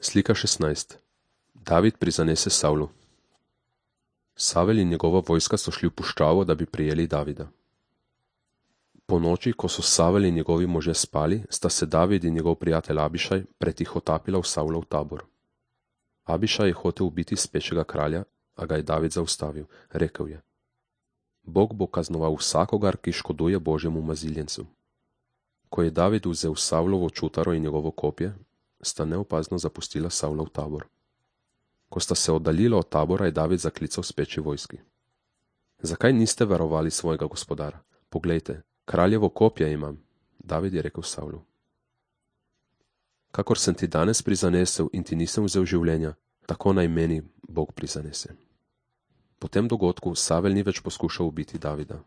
Slika 16. David prizanese Savlu. Savel in njegova vojska so šli v puščavo, da bi prijeli Davida. Po noči, ko so Savel in njegovi možje spali, sta se David in njegov prijatelj Abišaj pretihotapila v Savlov tabor. Abišaj je hotel ubiti spečega kralja, a ga je David zaustavil. Rekel je: Bog bo kaznoval vsakogar, ki škoduje Božjemu maziljencu. Ko je David vzel Savlovo čutaro in njegovo kopje, sta neopazno zapustila Savlov tabor. Ko sta se oddaljila od tabora, je David zaklical speči vojski: Zakaj niste varovali svojega gospodara? Poglejte, kraljevo kopje imam. David je rekel Savlu: Kakor sem ti danes prizanesel in ti nisem vzel življenja, tako naj meni Bog prizanese. Po tem dogodku Savel ni več poskušal ubiti Davida.